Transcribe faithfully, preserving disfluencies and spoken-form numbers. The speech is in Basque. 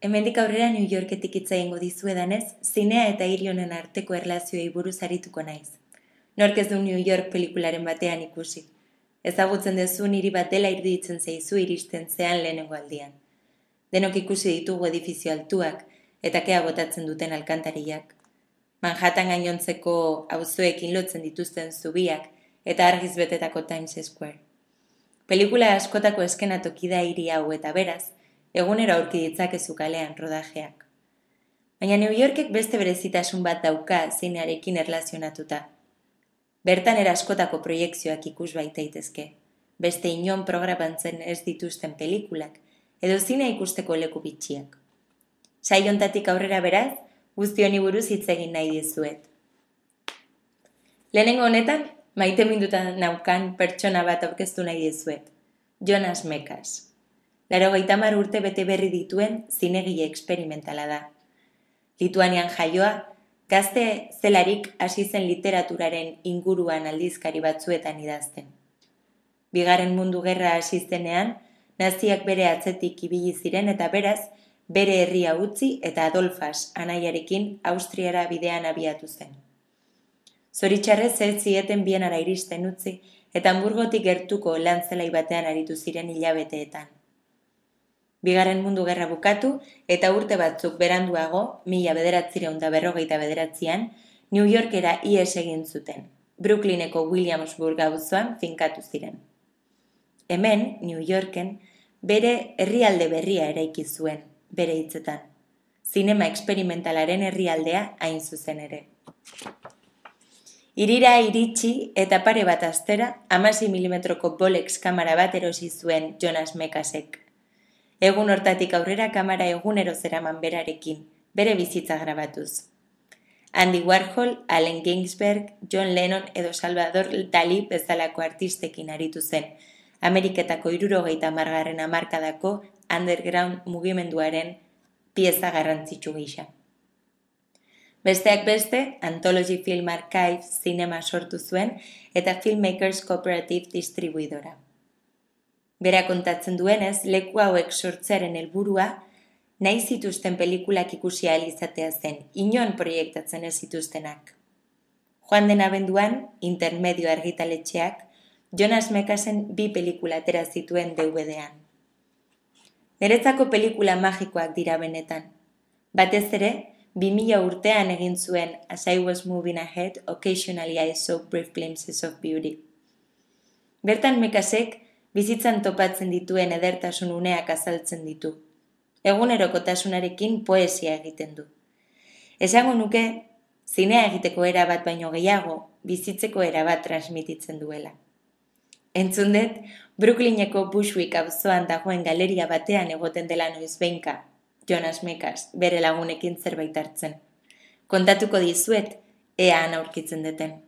Hemendik aurrera New Yorketik hitz egingo dizuedanez, zinea eta hiri honen arteko erlazioei buruz arituko naiz. Nork ez du New York pelikularen batean ikusi. Ezagutzen duzun hiri bat dela iruditzen zaizu iristen zean lehenengo aldian. Denok ikusi ditugu edifizio altuak eta kea botatzen duten alkantariak. Manhattan gainontzeko auzoekin lotzen dituzten zubiak eta argiz betetako Times Square. Pelikula askotako eskenatoki da hiri hau eta beraz, egunero aurki ditzakezu kalean rodajeak. Baina New Yorkek beste berezitasun bat dauka zinearekin erlazionatuta. Bertan eraskotako proiekzioak ikus baitaitezke, beste inon programatzen ez dituzten pelikulak, edo zinea ikusteko leku bitxiak. Saiontatik aurrera beraz, guzti honi buruz hitz egin nahi dizuet. Lehenengo honetan, maite mindutan naukan pertsona bat aurkeztu nahi dizuet, Jonas Mekas. Laro gaitamar urte bete berri dituen zinegile eksperimentala da. Lituanian jaioa, gazte zelarik hasi zen literaturaren inguruan aldizkari batzuetan idazten. Bigarren mundu gerra hasi zenean, naziak bere atzetik ibili ziren eta beraz, bere herria utzi eta Adolfas anaiarekin Austriara bidean abiatu zen. Zoritxarrez ez zieten Bienara iristen utzi eta Hamburgotik gertuko lantzelai batean aritu ziren hilabeteetan. Bigarren mundu gerra bukatu eta urte batzuk beranduago, mila bederatziehun eta berrogeita bederatzian, New Yorkera ihes egin zuten, Brooklyneko Williamsburg auzoan finkatu ziren. Hemen, New Yorken, bere herrialde berria eraiki zuen, bere hitzetan. Zinema eksperimentalaren herrialdea hain zuzen ere. Hirira iritsi eta pare bat astera, hamasei milimetroko Bolex kamera bat erosi zuen Jonas Mekasek. Egun hortatik aurrera kamera egunero zeraman berarekin, bere bizitza grabatuz. Andy Warhol, Allen Ginsberg, John Lennon edo Salvador Dalí bezalako artistekin aritu zen, Ameriketako hirurogeita hamargarren hamarkadako underground mugimenduaren pieza garrantzitsu gisa. Besteak beste, Anthology Film Archive zinema sortu zuen eta Filmmakers Cooperative distribuidora. Bera kontatzen duenez, leku hauek sortzearen helburua, nahi zituzten pelikulak ikusi ahal izatea zen, inon proiektatzen ez zituztenak. Joan den abenduan, Intermedio argitaletxeak, Jonas Mekasen bi pelikula atera zituen D V D-an. Niretzako pelikula magikoak dira benetan. Batez ere, bi mila urtean egin zuen As I Was Moving Ahead, Occasionally I Saw Brief Glimpses of Beauty. Bertan Mekasek, bizitzan topatzen dituen edertasun uneak azaltzen ditu. Egunerokotasunarekin poesia egiten du. Esango nuke, zinea egiteko era bat baino gehiago, bizitzeko era bat transmititzen duela. Entzun dut, Brooklyneko Bushwick auzoan dagoen galeria batean egoten dela noizbehinka, Jonas Mekas, bere lagunekin zerbait hartzen. Kontatuko dizuet, ea han aurkitzen duten.